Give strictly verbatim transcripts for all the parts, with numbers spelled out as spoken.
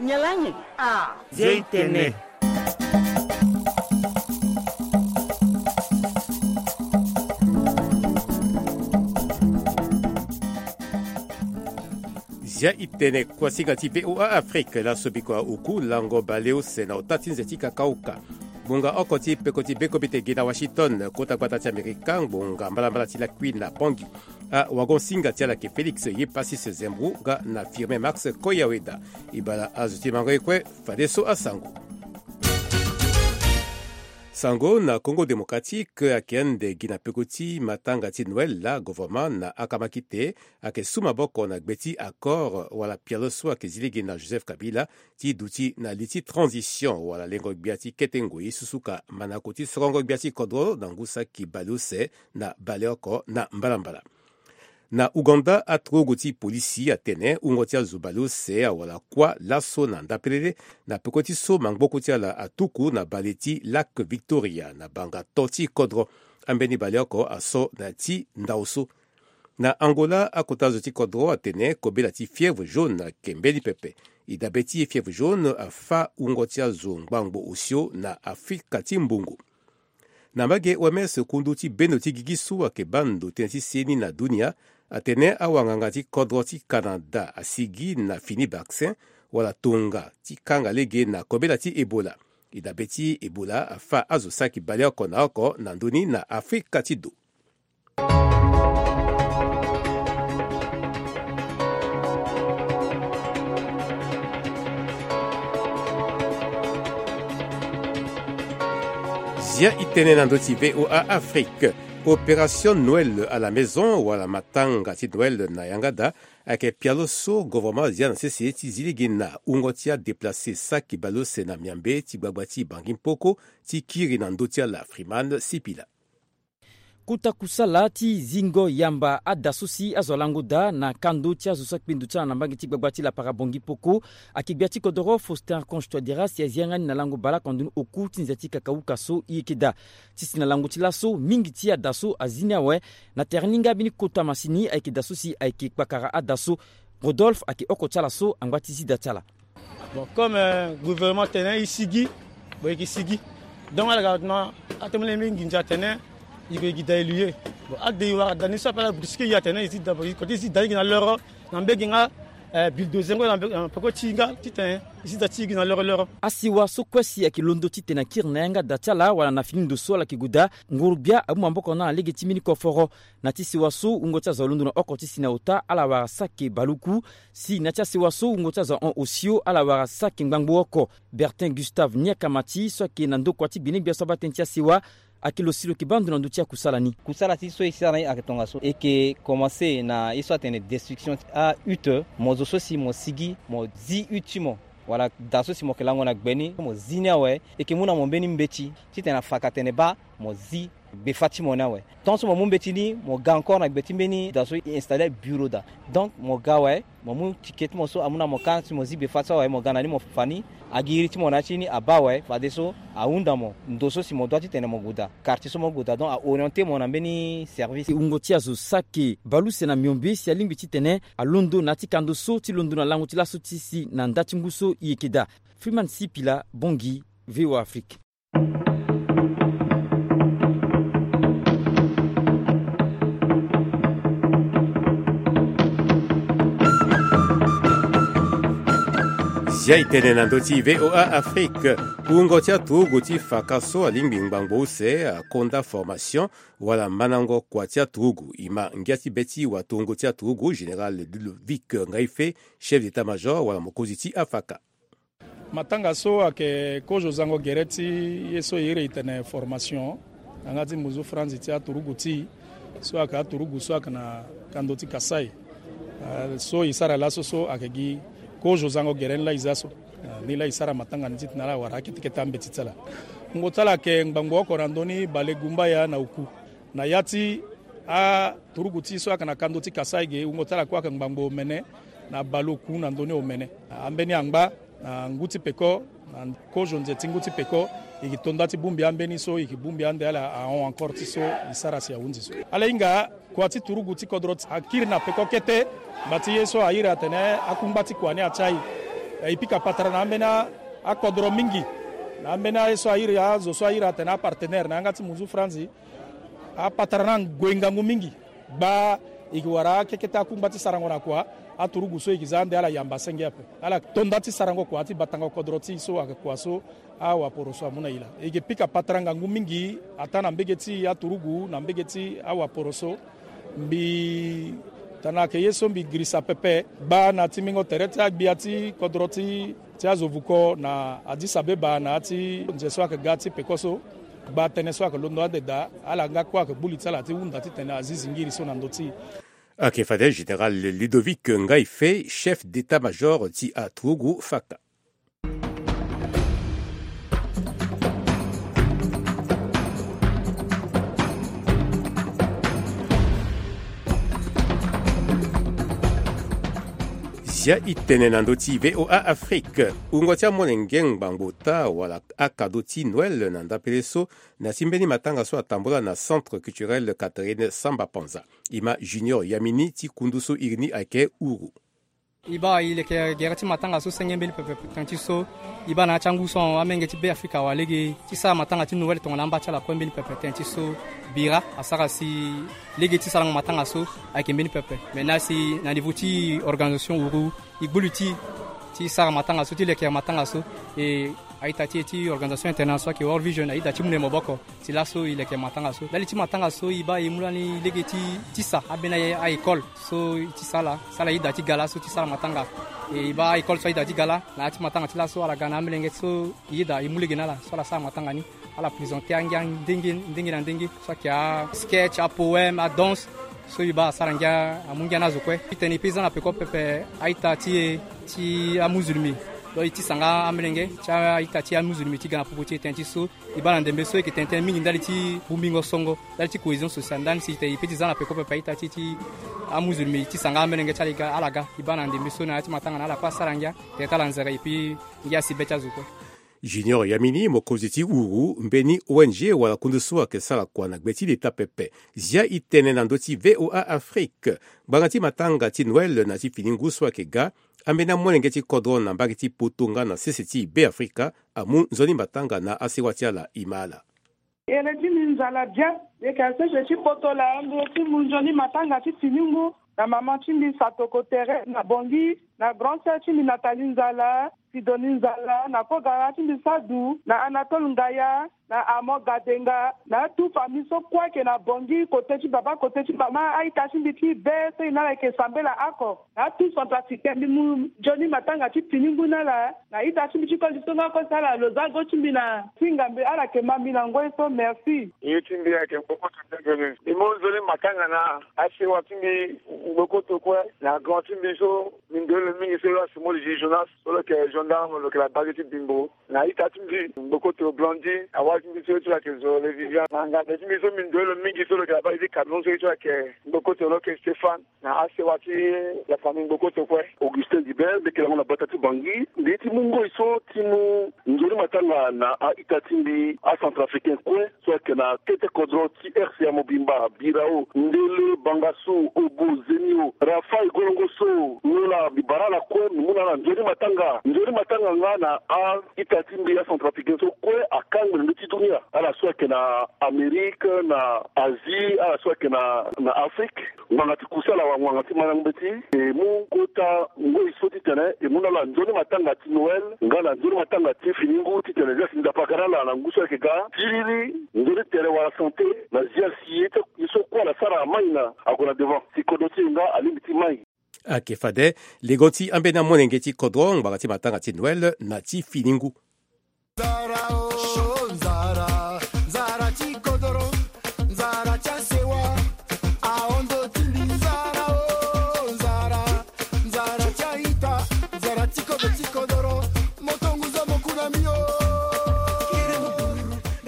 Nyalangi. Ah. Zia itene. Zia itene kuasinga ti V O A Afrique. Laso biko auku lango baleuse na ota ti nze ti kakauka. Ngbonga oko ti peko ti bekobe te gi na Washington, kota gbata ti Amerika, ngbonga mbalambala ti lakui na Bangui. Awagon-singa ti ala yeke Félix Yepassis Zembou nga na Firmin Max Koyaweda. E bala azo ti mango ye kue, fadeso asango. Sango na Congo Démocratique ayeke ande gi na peko ti matanga ti Noël laa, gouvernement na akamakite ayeke su maboko na gbe ti accord wala pialo so ayeke zi lege na Joseph Kabila ti duti na li ti transition wala lengo gbia ti kete ngoi susuka manako ti sorongo gbia ti kodro na ngu saki baleuse na baleoko na mbalambala. Na Ouganda, aturugu ti polisi atene wungo ti azo baleuse awara kuâ laso na ndapelele na peko ti so mangboko ti ala atuku na bale ti Lac Victoria na banga to ti kodro. Ambeni baleoko aso na ya ti ndao so. Na Angola, akota zo ti kodro atene kobela ti fièvre jaune ayeke mbeni pepe. E dabe ti fièvre jaune afâ wungo ti azo ngbangbo osio na Afrika ti mbongo. Na mbage O M S, kundu ti bendo ti gigi so ayeke baa ndo tënë ti seni na dunia atene awanganga ti kodro ti Canada asigi na fini vaccin wala tonga ti kanga lege na kobela ti Ebola. E dabe ti Ebola afâ azo saki baleoko na oko na ndö ni na Afrika ti do. Zia itene na ndö ti V O A Afrique. Opération Noël à la maison wala matanga ti Noël na yanga daa ayeke pialo so gouvernement azia na sese ti zi lege na wungo ti adéplacé saki baleuse na miambe ti gbagba ti Bangi Mpoko ti kiri na ndö ti ala Freeman Sipila. Kota kusala ti zingo yamba ada so si azo alango daa na kando ti azo so akpe ndo ti ala na mbage ti gbagba ti lapara Bongi Poko ayeke gbia ti kodoro Faustin Archange Touadéra si azi yanga ni na lango baleoko na ndoni oku ti nze ti kakauka so e yeke daa. Ti si na lango ti laso mingi ti ada so azi ni awe. Na tere ni nga mbeni kota masini ayeke da so si ayeke kpakara ada so. Rodolphe ayeke oko ti ala so angba ti zi da ti ala. Bon, comme, euh, gouvernement atene e sigi, bon, e yeke sigi. Donc ala ga na atene mbeni nginza atene e yeke gi da e lu ye. Bon, ade e wara da ni so ape ala brusque e atene e zi da, bon, e kota e zi da e gi na loro na mbege nga, euh, bulldozer ngo na mbege, na peko ti e nga titene e zi da ti e gi na loro loro. Asewa so kue si ayeke londo titene akiri na yanga da ti ala wala na fini ndo so ala yeke gue daa, nguru-gbia amu maboko na ala lege ti mbeni koforo. Na ti sewa so wungo ti azo alondo na oko ti si na ota ala wara saki baluku. Si na ti asewa so wungo ti azo ahon osio ala wara saki ngbangbo oko. Bertin Gustave Niakamati so ayeke na ndokua ti gbenegbia so abaa tënë ti asewa ayeke lo si lo yeke baa ndo na ndö ti akusala ni. Kusala ti so e sara na e ayeke tongaso. E yeke komanse na ye so atene destruction ti ahutte. Mo zo so si mo sigi mo zi hutte ti mo wala da so si mo yeke lango na gbe ni mo zi ni awe, e yeke mu na mo mbeni mbeti titene afaka tene baa mo zi gbefa ti mo ni awe. Tant so mo mu mbeti ni mo ga encore na gbe ti mbeni da so e installer bureau daa. Donc mo ga awe, mo mu ticket ti mo so amu na mo ka si mo zi gbefa so awe, mo ga na ni mo fa ni. Agi iri ti mo na ya ti ni abaa awe, fadeso ahunda mo ndo so si mo doit titene mo gue daa, quartier so mo gue daa. Donc a orienter mo na mbeni service. Wungo ti azo saki baluuse na miombe si alingbi titene alondo na ya ti kando so ti londo na lango ti laso ti si na nda ti ngu so e yeke daa. Freeman Sipila, Bongi, V O A Afrique. Zia e tene na ndö ti V O A Afrique. Wungo ti aturugu ti faka so alingbi ngbangbo use akonda formation wala mandango kua ti aturugu. E ma ngia ti be ti watongo ti aturugu, Général Ludovic Ngaife, chef d'état-major wala mokonzi ti afaka. Matanga so ayeke kozo zango gere ti ye so e iri e tene formation na yanga ti mbuzu franzi ti aturugu ti e so ayeke aturugu so ayeke na kando ti Kasaï. Ah, so e sara laso so ayeke gi kozo zango gere ni laa e za so. Ah, ni laa e sara matanga ni titene ala wara akete kete ambeti ti ala. Wungo ti ala ayeke ngbangbo oko na ndö ni bale gumbaya na oku. Na ya ti aturugu ti e so ayeke na kando ti Kasaï ge, wungo ti ala kue ayeke ngbangbo omene na baleoku na ndö ni omene. Ambeni angba na ngu ti peko, na kozo nze ti ngu ti peko, e yeke to nda ti bongbi ambeni so e yeke bongbi ande ala ahon encore ti so e sara si ahunzi so. Ala hinga kua ti turugu ti kodro ti akiri na peko kete. Ngba ti ye so a iri atene akungba ti kua ni atia e. E pika patara na ambeni akodro mingi, na ambeni aye so a iri azo so a iri atene apartenaire na yanga ti munzu franzi. Apatara ni ague ngangu mingi. Gba, e ke wara akekete akungba ti sarango na kua. Aturugu so e ke za ande ala yamba senge ape, ala to nda ti sarango kua ti batango kodro ti e so ayeke kua so awaporo so amu na e laa. E ke pika patara ngangu mingi ataa na mbege ti aturugu na mbege ti awaporo so. Mbi tana ayeke ye so mbi girisa pepe. Gba na timbingo tere ti agbia ti kodro ti ti azo vuko na Addis Abeba na ya ti nze so ayeke ga ti peko so. Gba tënë so ayeke londo ande daa, ala nga kue ayeke gbu li ti ala ti hunda titene azi zingiri so na ndö ti e. Ayeke fade général Ludovic Ngaife, chef d'état-major ti aturugu faka. Zia e tene na ndö ti V O A Afrique. Wungo ti amolenge ngbangbo ota wala akado ti Noël na ndapele so, na ti mbeni matanga so atambula na Centre Culturel Catherine Samba Panza. E ma Junior Yamini ti kundu so iri ni ayeke Uru. E baa e leke gere ti matanga so senge mbeni pepe tënë ti so. E baa na ya ti angu so amolenge ti Beafrika awara lege ti sara matanga ti Noël tongana amba ti ala kue mbeni pepe tënë ti so. Bira asara si lege ti sarango matanga so ayeke mbeni pepe. Me na si na niveau ti organisation Uru, e gbu li ti e ti sara matanga so, ti lekere matanga so. E a-ita ti e ti organisation internationale so ayeke World Vision aye daa ti mu na e maboko. Ti laso e leke matanga so. Ndali ti matanga so e baa e mu lani lege ti tisa ambeni a-école so e tisa ala, so ala ye daa ti ga laso ti sara matanga. E baa a-école so aye daa ti ga laa, na ya ti matanga ti laso ala ga na amolenge so e ye daa e mu lege na ala so ala sara matanga ni. Ala présenter angia ndenge ndenge na ndenge, so ayeke a-sketch, apoème, adanse. So e baa asara ngia, amu ngia na azo kue. Titene e pe za na peko pepe a-ita ti e ti amuzulmi. Donc e tisa nga amolenge ti a-ita ti amuzulmi ti ga na popo ti e tënë ti so. E baa na ndembe so e yeke tene tënë mingi ndali ti bongbingo songo, ndali ti cohésion sociale, ndali si tene e pe ti za na peko pepe a-ita ti e ti amuzulmi, e tisa nga amolenge ti ala e ga, ala ga. E baa na ndembe so na ya ti matanga na ala kue asara ngia, tere ti ala nzere, e pe ngia asi be ti azo kue. Junior Yamini, mokonzi ti Uru, mbeni O N G wala kundu so ayeke sara kua na gbe ti leta pepe. Zia e tene na ndö ti V O A Afrique. Ngbanga ti matanga ti Noël na ti fini ngu so ayeke ga, ambeni amolenge ti kodro na mbage ti poto nga na sese ti Beafrika amu nzoni matanga na asewa ti ala. E ma ala. Ere ti mbi nzala bien. Mbi yeke na sese ti poto laa, mbi ye ti mu nzoni matanga ti fini ngu na mama ti mbi Satoko Thérèse na Bangui, na grand sœur ti mbi Nathalie Nzala, Sidonie Nzala, na kogara ti mbi Sadou, na Anatole Ngaya, na Armand Gadenga, na tout famille so kue ayeke na Bangui, kote ti baba, kote ti mama, a-ita ti mbi ti be so e na ala yeke sambela oko. Na tout centrafricain, mbi mu nzoni matanga ti fini ngu na ala. Na ita ti mbi ti koli so nga kue si ala lo za go ti mbi na singa mbi, ala yeke ma mbi na ngoi so. Merci. Ye ti mbi ayeke Mbokoto Dembele. Mbi mu nzoni matanga na asewa ti mbi Mbokoto kue, na grand ti mbi so mbi ndoye lo mingi so lo asi Moli Jonas, so lo yeke gendarme, lo yeke na bage ti Bimbo. Na ita ti mbi Mbokoto Blondine, awali ti mbi so ye ti lo ayeke Zole Viviane. Na nganda ti mbi so mbi ndoye lo mingi so lo yeke na bage ti Cameroun, so ye ti lo ayeke Mbokoto, lo yeke Stéphane. Na asewa ti la famille Mbokoto kue. Augustin Dibert, mbi yeke lango na bata ti Bangui. Mbi ye ti mu ngoi so ti mu nzoni matanga na a-ita ti mbi acentrafricain kue so ayeke na kete kodro ti R C A mobimba, Birao, Ndele, Bangassou, Obo, Zemio, Rafaï, Golongoso, Nyola, mbi bara ala kue, mbi mu na ala nzoni matanga. Nzoni matanga nga na a-ita ti mbi acentrafricain so kue akangbi na ndö ti dunia. Ala so ayeke na Amérique, na Asie, ala so ayeke na, na Afrique. Ngbanga ti kusala wala ngbanga ti mandango mbeti, e mu kota ngoi so titene e mu na ala nzoni matanga ti Noël nga na nzoni matanga ti fini ngu titene zia si ndapaka na ala na ngu so ayeke ga. Siriri, nzoni tere wala santé na zia si ye ti, ye so kue ala sara amai na ague na devant. Si kodro ti e nga alingbi ti mai. Ayeke fade lego ti ambeni amolenge ti kodro ngbanga ti matanga ti Noël na ti fini ngu. Nzara o, nzara, nzara ti kodoro, nzara ti asewa, ahon ndo ti mbi. Nzara o, nzara, nzara ti a-ita, nzara ti kodro ti kodoro, moto ngu zo moku na mbi o.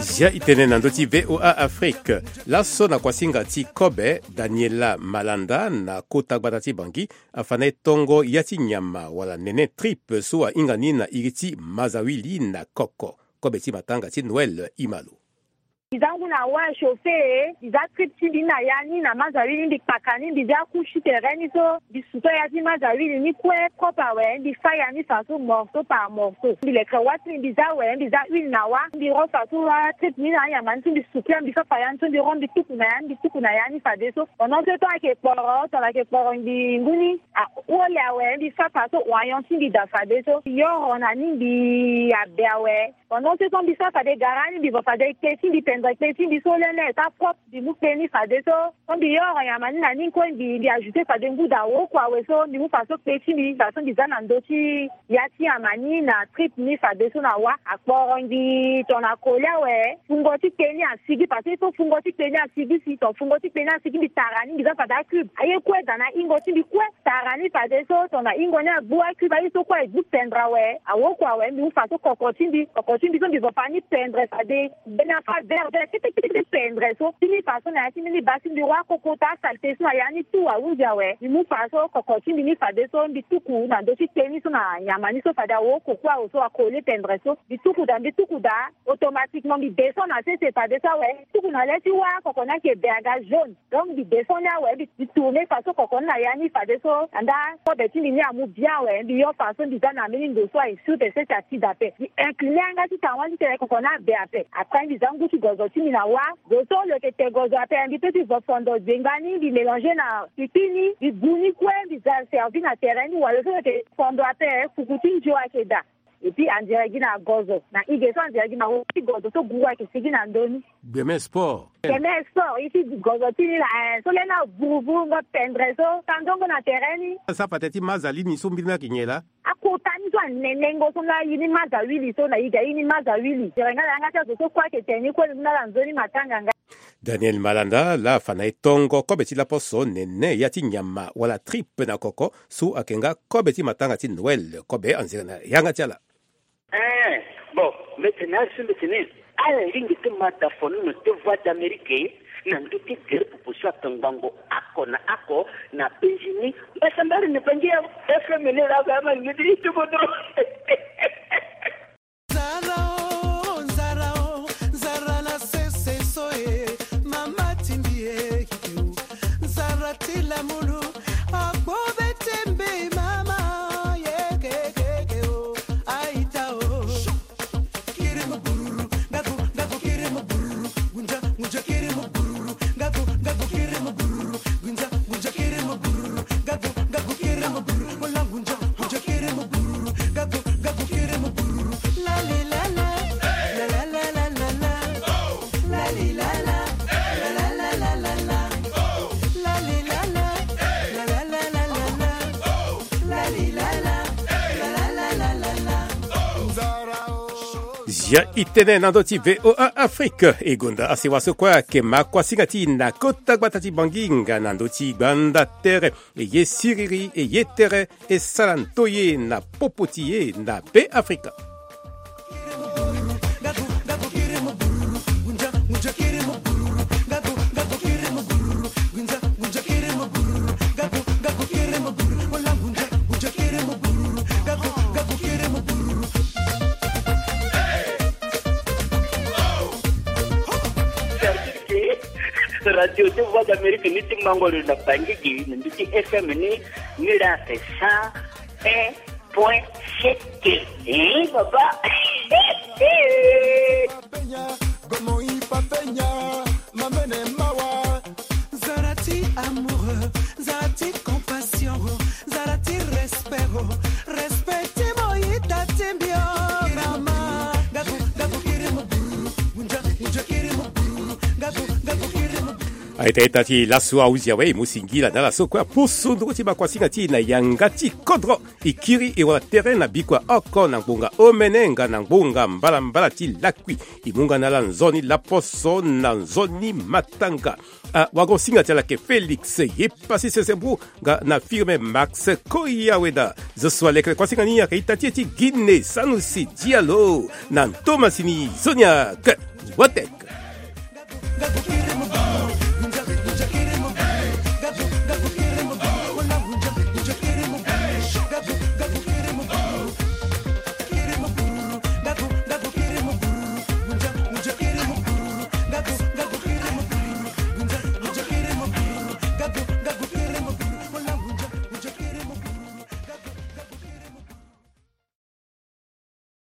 Zia e tene na ndö ti V O A Afrique. Laso na kuasinga ti kobe, Daniela Malanda na kota gbata ti Bangui afa na e tongo ya ti nyama wala nene trip so ahinga ni na iri ti mazawili na koko. Kobe ti matanga ti Noël, e ma lo. Mbi za ngu na wâ chauffé e, mbi za trip ti mbi ni na ya ni na mazawili ni, mbi kpaka ni, mbi za couche ti terrain ni so, mbi suto ya ti mazawili ni kue propre awe, mbi fa ya ni fa so morceau par morceau. Mbi lekere wâ ti mbi, mbi za awe, mbi za huile na wâ, mbi ro fa so wâ trip ni na anyama ni so, mbi suku ya, mbi fa fa ya ni so, mbi ro, mbi tuku na ya ni, mbi tuku na ya ni fadeso. Pendant ce temps ayeke kporo, tongana ayeke kporo mbi ngu ni, a, ole awe, mbi fa fa so oignon ti mbi daa fadeso. Mbi yoro na ni, mbi abe awe. Pendant ce temps mbi sara fade gara ni, mbi va fade kpe ti mbi, pendre kpe ti mbi so lele, esa propre, mbi mu kpe ni fadeso. So mbi yoro nyama ni na ni kue, mbi, mbi ajouter fade ngu daa woko awe so, mbi mu fa so kpe ti mbi, fa so mbi za na ndö ti ya ti nyama ni na trip ni fadeso na wâ. Akporo mbi tongana koli awe, fungo ti kpe ni asigi, parce que so fungo ti kpe ni asigi si, tongana fungo ti kpe ni asigi, mbi tara ni, mbi za fade acube. Aye kue daa na hingo ti mbi kue. Tara ni fadeso, tongana hingo ni agbu acube, aye so kue agbu pendre awe, awoko awe, mbi mu fa so koko ti mbi, koko ti mbi so mbi zo fa ni pendre fade. Mbeni afa vert vert, kete kete kete pendre so. Ti ni fa so na ya ti mbeni baa ti mbi, wâ koko ta saleté so na ya ni tout ahunzi awe. Mbi mu fa so koko ti mbi ni fadeso, mbi tuku na ndö ti kpe ni so na nyama ni so fade awoko kue awe so akoli pendre so. Mbi tuku daa, mbi tuku daa, automatiquement mbi descend na sese fadeso awe. Mbi tuku na le ti wâ koko ni ayeke be aga jaune. Donc mbi descend ni awe, mbi, mbi tourner fa so koko ni na ya ni fadeso, andaa kobe ti mbi ni amu bien awe, mbi yo fa so mbi za na mbeni ndo so aye sur te sese ati daa ape. Mbi incliner yanga ti tawani ti tene koko ni abe ape. Après mbi za ngu ti gozo ti mbi na wâ. Zo so lo yeke te gozo ape, mbi peut ti vo fondo zengba ni, mbi mélanger na pipi ni, mbi gu ni kue, mbi za servi na terrain ni, wala zo lo yeke fondo ape, fuku ti nzio ayeke daa. Et puis anzere gi na gozo na ige so, anzere gi na wo ti gozo so gu ayeke sigi na ndö ni. Gbeme sport. Gbeme sport, ye ti gozo ti ni la, eh, so lê na vuruvuru ngo pendre so, tandongo na terrain ni. Sa pate ti maza li ni so mbiri ni ayeke nyen laa? Akota ni so anene ngo so nga ye ni maza wili so na ige ye ni maza wili. Tere nga na yanga ti azo so kue ayeke tene ni kue ni mu na ala nzoni matanga nga. Daniel Malanda laa afa na e tongo kobe ti laposo nene ya ti nyama wala tripe na koko so ayeke nga kobe ti matanga ti Noël, kobe anzere na yanga ti ala. Eh, bon, mbeti na azo mbeti ni. Ala lingbi ti ma da fono na te Voix d'Amérique na ndö ti gere popo so atongbango oko na oko na penzi ni. Mbasambari ni bangi ya F M ni la ba ma ni ti ti bodo. Nzara o, nzara o, nzara na sese so e, mama tindi e, kike o. Nzara ti lamulu, akpo be tembe mama, ye ke, ke, ke o, aita o. Kiri mo bururu, ngaku, ngaku kiri mo bururu, gunja, gunja kiri mo bururu, ngaku, ngaku kiri mo bururu, gunja, gunja kiri mo bururu, ngaku, ngaku kiri mo bururu, mola gunja, gunja kiri mo bururu, ngaku, ngaku kiri mo bururu. La li la la, la la la la la la. La li la la, la la la la la. La li la la, la la la la la. La li la la, la la la la la. Zia e tene na ndö ti V O A Afrique. E gonda asewa so kue ayeke makuasinga ti e na kota gbata ti Bangi nga na ndö ti gbanda tere. E ye siriri, e ye tere, e sara ndoye na popo ti e na Be Afrika. Radio ti Voix d'Amérique ni ti mango lo na Bangigi, ni ti F M ni, ni la ake cent un point sept. Eh, papa. Penya, gomo i pa penya, mamene mawa. Nzara ti amour, nzara ti compassion, nzara ti respect, respect ti mo ita ti mbi o, mama. Gaku, gaku kiri mo bururu, gunja, gunja kiri mo bururu, gaku, gaku kiri mo bururu. Aita ita ti laso ahuzi awe, e mu singila na ala so kue apusu nduru ti makuasinga ti e na yanga ti kodro. E kiri e wara tere na bikua oko na ngbonga omene nga na ngbonga mbalambala ti lakui. E mu nga na ala nzoni laposo na nzoni matanga. Awagosinga ti ala ayeke Félix ye pasi sese mbu nga na Firme Max Koyaweda. Zo so alekere kuasinga ni ayeke ita ti e ti Guinée, Sanusi Diallo na ntomasini Zoniak. Wate.